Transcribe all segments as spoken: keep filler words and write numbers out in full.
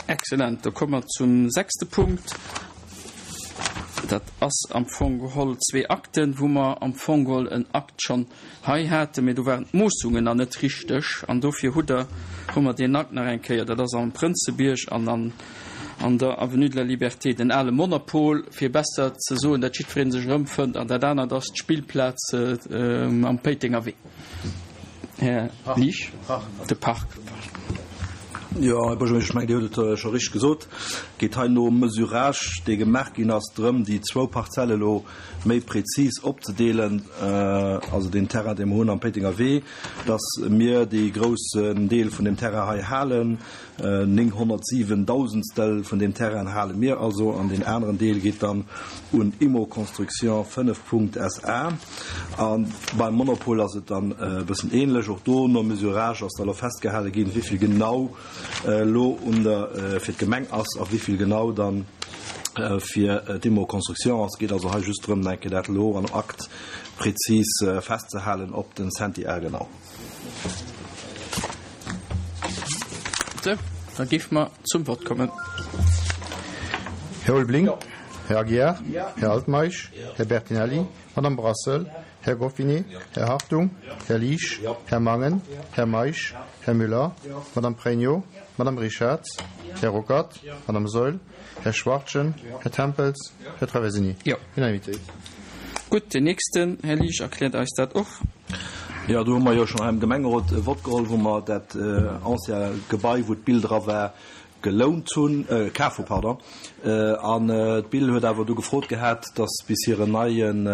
Excellent. Da komme mer zum sechste Punkt. Dat ass am Fong geholl zwee Akten, wou mer am Fong geholl en Akt schonn hei haten, mee do waren d'Moossungen nach net richteg an dofir hutt Der, hu mer deen Akt nach eng Kéier, dat ass am Prënzebierg an an an der Avenue de la Liberté, den ale Monopol, fir besser ze soen, datt jiddweree sech erëmfënnt, an dat anert ass d'Spillplaz am Péitenger Wee. Här Liesch, de Park. Jo, Här Buergermeeschter, ech mengen, Dir hutt et scho richteg gesot. Et geet hei nom Mesurage, dee gemaach ginn ass, drëm, déi zwou Parzelle elo méi prezis opzedeelen, also deen Terrain, dee mer hunn am Péitenger Wee, dass mir dee groussen Deel vun deem Terrain hei halen, nénghonnertsiwen Dausendstel vun deem Terrain hale mir also, an deen aneren Deel geet dann un Immo Construction fënnef Punkt SA. A beim Monopol ass et dann e bëssen ähnlech. Och do nom Mesurage ass da elo festgehale ginn, wéi vill genau elo un der fir d'Gemeng ass a wéi vill genau dann fir d'Immo Construction ass. Et geet also hei just drëm, nach eng Kéier dat elo an Akt prezis festzehalen op den Centiar genau. Sou, da géife mer zum Vott kommen. Här Ulveling, Här Aguiar, Här Altmeisch, Här Bertinelli, Madame Brassel, Här Goffinet, Här Hartung, Här Liesch, Här Mangen, Här Meisch, Här Müller, Madame Pregno, Madame Richarz, Här Ruckert, Madame Saeul, Här Schwachtgen, Här Tempels, Här Traversini. Unanimitéit. Gutt, deen nächsten, Här Liesch, erkläert eis dat och. Jo, do hu mer jo schonn hei am Gemengerot e Vott geholl, wou mer dat ancien Gebai, wou d'Bill dra war, gelount hunn, kaf hu, pardon. An d'Bill huet awer du gefrot gehat, dass bis hiren neien,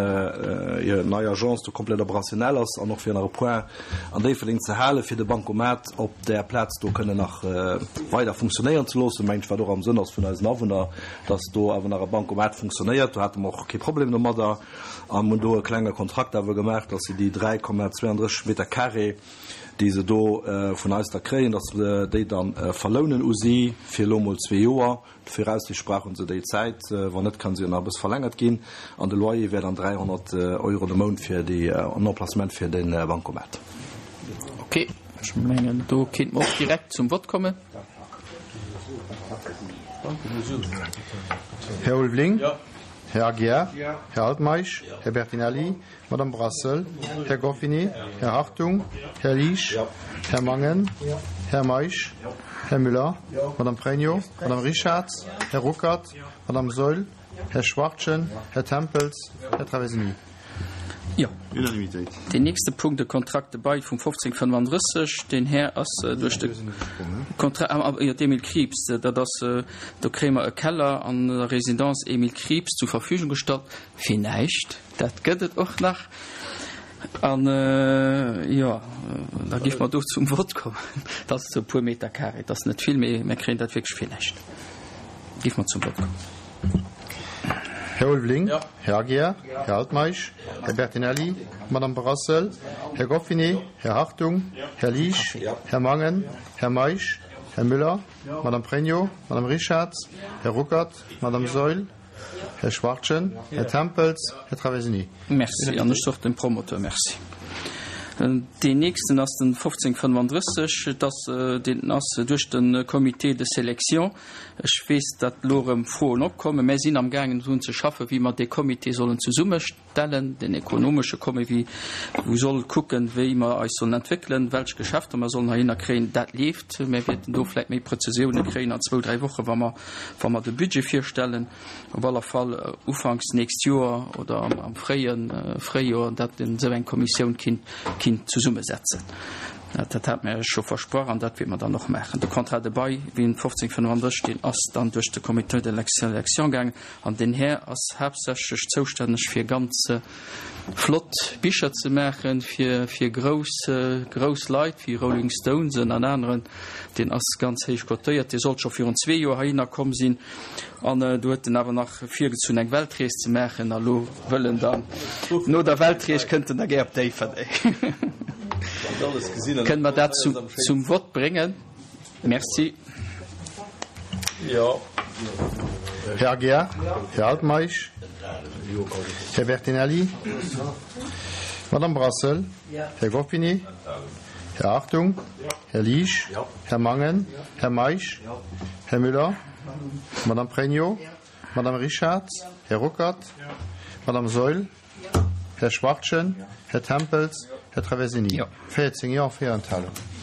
hir nei Agence do komplett operationnel ass an och fir nach e Point an Déifferdeng ze halen, fir de Bancomat op där Plaz do kënnen nach weider funktionéieren ze loossen, mengt ech, wat och am Sënn ass vun eisen Awunner, dass do awer nach e Bancomat funktionéiert. Do hate mer och kee Problem domadder an hunn do e klenge Kontrakt awer gemaach, dass si déi dräi Komma zweiunddrësseg Meter carré, déi se do vun eis da kréien, dass se déi da verlounen u si fir elo emol zwee Joer. Viraussiichtlech brauche se déi Zäit, wann net, kann se jo nach e bësse verlängert ginn. An de Loyer wär dann dräihonnert Euro de Mount fir déi en Emplacement fir de Bancomat. Ok, ech mengen, do kéinte mer och direkt zum Vott kommen. Här Ulveling, Här Aguiar, Här Altmeisch, Här Bertinelli, Madame Brassel, Här Goffinet, Här Hartung, Här Liesch, Här Mangen, Här Meisch, Här Müller, Madame Pregno, Madame Richarz, Här Ruckert, Madame Saeul, Här Schwachtgen, Här Tempels, Här Traversini. Jo. Unanimitéit. Deen nächste Punkt, de Contrat de bail vum fofzéng fënnfandrësseg, deen Här ass duerch de Contrat, ah, jo, d'Emile Krieps, dat ass, do kréie mer e Keller an der Résidence Emile Krieps zur Verfügung gestallt fir näischt. Dat gëtt et och nach. An, jo, da géife mer do zum Vott kommen. Dat ass e puer Meter carré, dat ass net vill, mee mir kréien dat wierklech fir näischt. Géife mer zum Vott kommen. Här Ulveling, Här Aguiar, Här Altmeisch, Här Bertinelli, Madame Brassel, Här Goffinet, Här Hartung, Här Liesch, Här Mangen, Här Meisch, Här Müller, Madame Pregno, Madame Richarz, Här Ruckert, Madame Saeul, Här Schwachtgen, Här Tempels, Här Traversini. Merci. An ech soch dem Promoteur Merci. Deen nächsten ass den fofzéng fënnfandrësseg. Et ass, deen ass duerch de Comité de sélection. Ech weess, datt elo erëm Froen opkommen. Mär sinn amgaangen drun ze schaffen, wéi mer dee Comité sollen zesummestellen, den ekonomesche Comité, wou soll kucken, wéi mer eis sollen entwéckelen, welch Geschäfter mer sollen heihinner kréien. Dat leeft. Mär wäerten do vläicht méi Präzisioune kréien an zwou, dräi Wochen, wa mer, wa mer de Budget virstellen. Op aller Fall ufanks nächst Joer oder am fréie Fréijoer, datt een esou eng Kommissioun kinnt, kinnt zesummesetzen. Dat hat mir scho versprach an dat wäerte mer dann och maachen. De Contrat de bail, wéi en fofzéng fënnfandrësseg, deen ass dann duerch de Comité de sélection gaangen an deen Här ass haaptsächlech zoustänneg fir ganz flott Bicher ze maachen fir, fir grouss, grouss Leit wéi Rolling Stones an aneren. Deen ass ganz héich cotéiert. Dee sollt scho virun zwee Joer heihinner komm sinn an do huet en awer nach virgezunn eng Weltrees ze maachen a lo wëll en dann no der Weltrees kënnt en da gär op Déifferdeng. Kënne mer dat zum Vott bréngen? Merci. Här Aguiar, Här Altmeisch, Här Bertinelli, Madame Brassel, Här Goffinet, Här Hartung? Här Liesch? Här Mangen? Här Meisch? Här Müller? Madame Pregno? Madame Richard? Här Ruckert? Madame Saeul? Här Schwachtgen? Här Tempels? Här Traversini? Jo. véierzéng Jo, véier Enthalungen.